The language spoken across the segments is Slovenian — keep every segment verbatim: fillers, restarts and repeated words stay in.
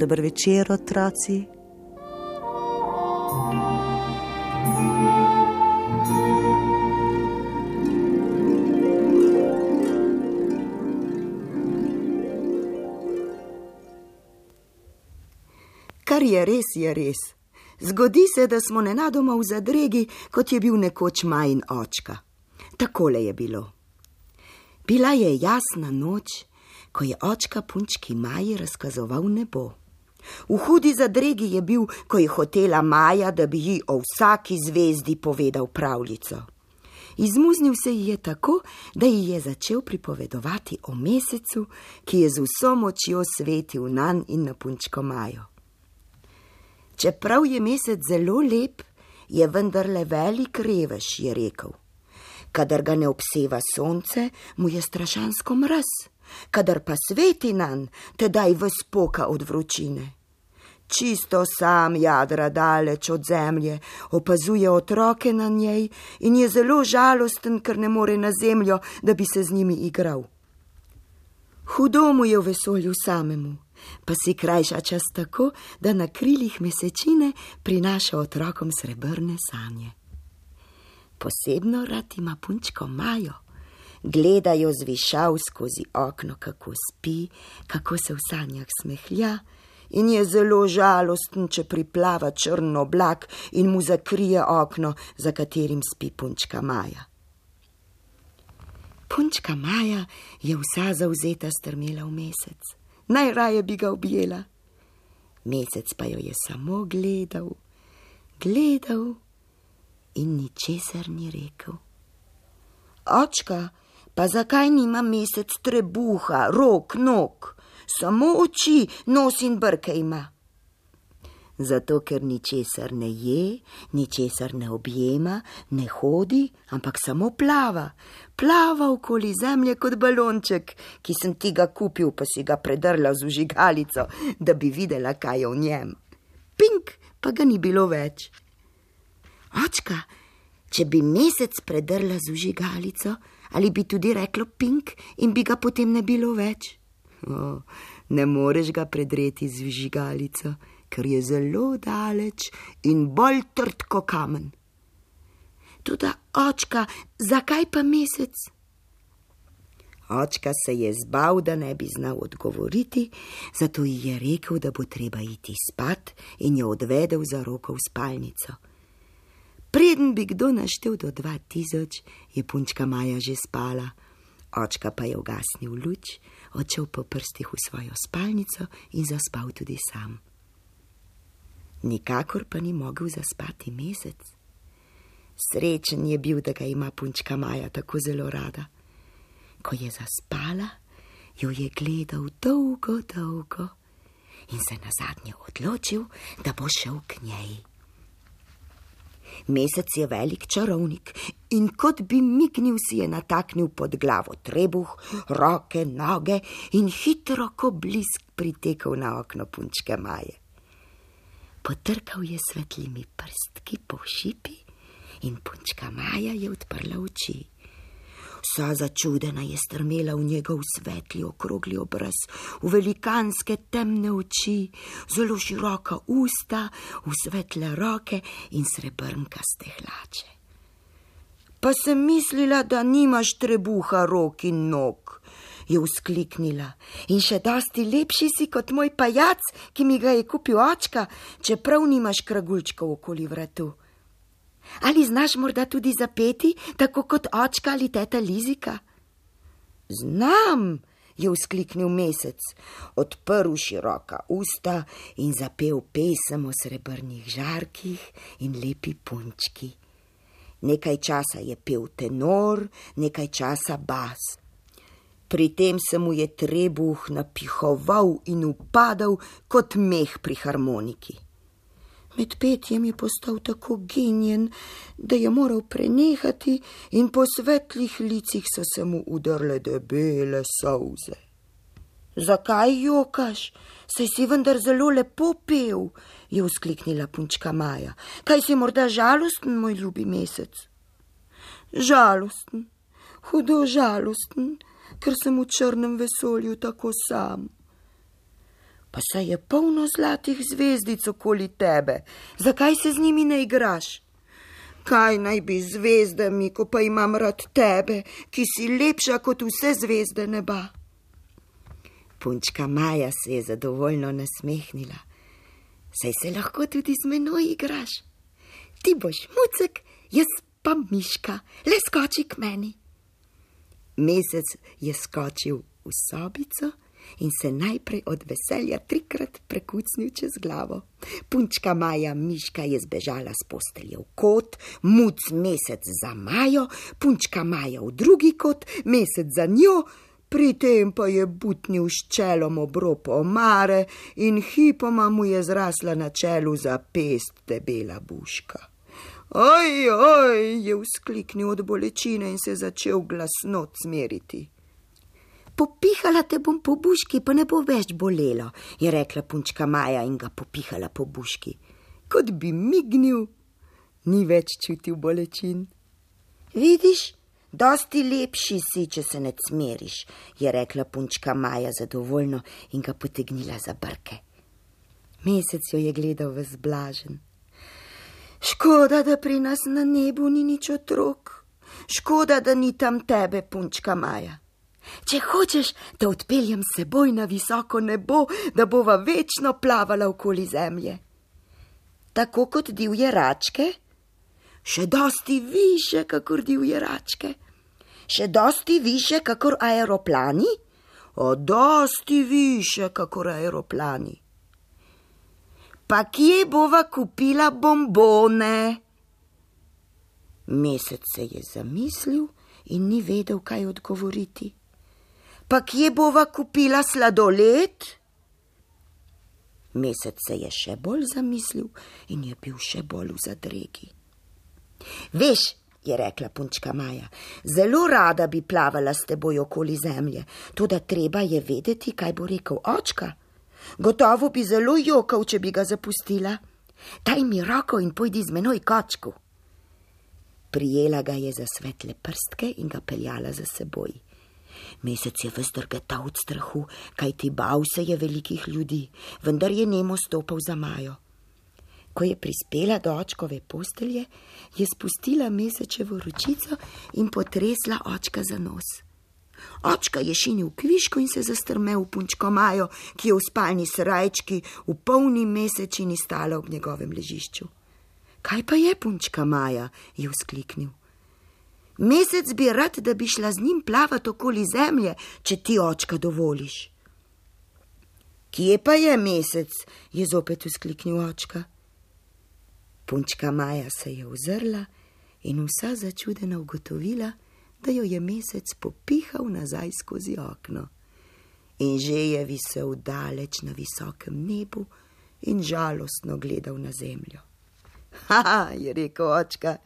Dober večer, otroci. Kar je res, je res. Zgodi se, da smo nenadoma v zadregi, kot je bil nekoč Majin očka. Takole je bilo. Bila je jasna noč, ko je očka punčki Maji razkazoval nebo. V hudi zadregi je bil, ko je hotela Maja, da bi ji o vsaki zvezdi povedal pravljico. Izmuznil se ji je tako, da ji je začel pripovedovati o mesecu, ki je z vso močjo svetil nanj in na punčko Majo. Čeprav je mesec zelo lep, je vendarle velik revež, je rekel. Kadar ga ne obseva sonce, mu je strašansko mraz. Kadar pa sveti nanj, tedaj ves poka od vročine. Čisto sam jadra daleč od zemlje, opazuje otroke na njej in je zelo žalosten, ker ne more na zemljo, da bi se z njimi igral. Hudo mu je v vesolju samemu, pa si krajša čas tako, da na krilih mesečine prinaša otrokom srebrne sanje. Posebno rad ima punčko Majo. Gledajo z višav skozi okno, kako spi, kako se v sanjah smehlja in je zelo žalosten, če priplava črn oblak in mu zakrije okno, za katerim spi punčka Maja. Punčka Maja je vsa zavzeta strmela v mesec. Najraje bi ga objela. Mesec pa jo je samo gledal, gledal in ničesar ni rekel. Očka, pa zakaj nima mesec trebuha, rok, nog, samo oči, nos in brke ima? Zato, ker ničesar ne je, ničesar ne objema, ne hodi, ampak samo plava. Plava okoli zemlje kot balonček, ki sem ti ga kupil, pa si ga predrla z vžigalico, da bi videla, kaj je v njem. Pink, pa ga ni bilo več. Očka, če bi mesec predrla z vžigalico, ali bi tudi reklo pink in bi ga potem ne bilo več? O, ne moreš ga predreti z vžigalico, ker je zelo daleč in bolj trd ko kamen. Toda, očka, zakaj pa mesec? Očka se je zbal, da ne bi znal odgovoriti, zato ji je rekel, da bo treba iti spat in jo odvedel za roko v spalnico. Preden bi kdo naštel do dva tisoč, je punčka Maja že spala. Očka pa je ugasnil luč, odšel po prstih v svojo spalnico in zaspal tudi sam. Nikakor pa ni mogel zaspati mesec. Srečen je bil, da ga ima punčka Maja tako zelo rada. Ko je zaspala, jo je gledal dolgo, dolgo in se nazadnje odločil, da bo šel k njej. Mesec je velik čarovnik in kot bi mignil si je nataknil pod glavo trebuh, roke, noge in hitro ko blisk pritekel na okno punčke Maje. Potrkal je svetlimi prstki po šipi in punčka Maja je odprla oči. Vsa začudena je strmela v njegov svetli okrogli obraz, v velikanske temne oči, zelo široka usta, v svetle roke in srebrnkaste hlače. Pa sem mislila, da nimaš trebuha, rok in nog, je vzkliknila. In še dosti lepši si kot moj pajac, ki mi ga je kupil očka, čeprav nimaš kragulčkov okoli vratu. Ali znaš morda tudi zapeti, tako kot očka ali teta Lizika? Znam, je vzkliknil mesec, odprl široka usta in zapel pesem o srebrnih žarkih in lepi punčki. Nekaj časa je pel tenor, nekaj časa bas. Pri tem se mu je trebuh napihoval in upadal kot meh pri harmoniki. Med petjem je postal tako genjen, da je moral prenehati in po svetlih licih so se mu udrle debele solze. Zakaj jokaš? Saj si vendar zelo lepo pel, je vzkliknila punčka Maja. Kaj si morda žalosten, moj ljubi Mesec? Žalosten, hudo žalosten, ker sem v črnem vesolju tako sam. Pa saj je polno zlatih zvezdic okoli tebe, zakaj se z njimi ne igraš? Kaj naj bi z zvezdami, ko pa imam rad tebe, ki si lepša kot vse zvezde neba? Punčka Maja se je zadovoljno nasmehnila. Saj se lahko tudi z menoj igraš. Ti boš mucek, jaz pa miška, le skoči k meni. Mesec je skočil v sobico in se najprej od veselja trikrat prekucnil čez glavo. Punčka Maja miška je zbežala s postelje v kot, muc Mesec za Majo, punčka Maja v drugi kot, Mesec za njo, pri tem pa je butnil s čelom ob rob omare in hipoma mu je zrasla na čelu za pest debela buška. Oj, oj, je vzkliknil od bolečine in se začel glasno cmeriti. Popihala te bom po buški, pa ne bo več bolelo, je rekla punčka Maja in ga popihala po buški. Kot bi mignil, ni več čutil bolečin. Vidiš, dosti lepši si, če se ne cmeriš, je rekla punčka Maja zadovoljno in ga potegnila za brke. Mesec jo je gledal ves blažen. Škoda, da pri nas na nebu ni nič otrok. Škoda, da ni tam tebe, punčka Maja. Če hočeš, da odpeljem seboj na visoko nebo, da bova večno plavala okoli zemlje. Tako kot divje račke? Še dosti više, kakor divje račke. Še dosti više, kakor aeroplani? O, dosti više, kakor aeroplani. Pa kje bova kupila bombone? Mesec se je zamislil in ni vedel, kaj odgovoriti. Pa kje bova kupila sladoled? Mesec se je še bolj zamislil in je bil še bolj v zadregi. Veš, je rekla punčka Maja, zelo rada bi plavala s teboj okoli zemlje, toda treba je vedeti, kaj bo rekel očka. Gotovo bi zelo jokal, če bi ga zapustila. Daj mi roko in pojdi z menoj kočku. Prijela ga je za svetle prstke in ga peljala za seboj. Mesec je ves drgetal od strahu, kajti bal se je velikih ljudi, vendar je nemo stopal za Majo. Ko je prispela do očkove postelje, je spustila Mesečevo ročico in potresla očka za nos. Očka je šinil kviško in se zastrmel v punčko Majo, ki je v spalni srajčki v polni mesečini stala ob njegovem ležišču. Kaj pa je, punčka Maja, je vzkliknil. Mesec bi rad, da bi šla z njim plavat okoli zemlje, če ti očka dovoliš. Kje pa je Mesec, je zopet vzkliknil očka. Punčka Maja se je ozrla in vsa začudena ugotovila, da jo je Mesec popihal nazaj skozi okno. In že je visel daleč na visokem nebu in žalostno gledal na zemljo. Haha, je rekel očka,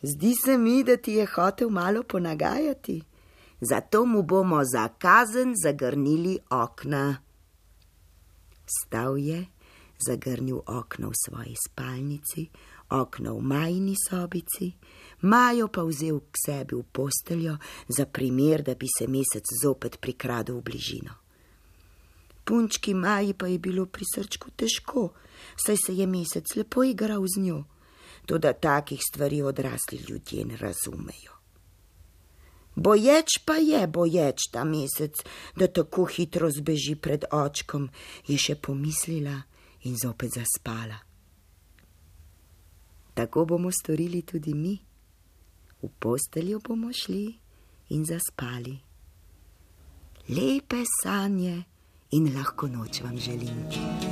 zdi se mi, da ti je hotel malo ponagajati, zato mu bomo za kazen zagrnili okna. Stal je, zagrnil okno v svoji spalnici, okno v Majini sobici, Majo pa vzel k sebi v posteljo za primer, da bi se Mesec zopet prikradel v bližino. Punčki Maji pa je bilo pri srčku težko, saj se je Mesec lepo igral z njo, toda takih stvari odrasli ljudje ne razumejo. Boječ pa je, boječ ta Mesec, da tako hitro zbeži pred očkom, je še pomislila in zopet zaspala. Tako bomo storili tudi mi. V posteljo bomo šli in zaspali. Lepe sanje in lahko noč vam želim.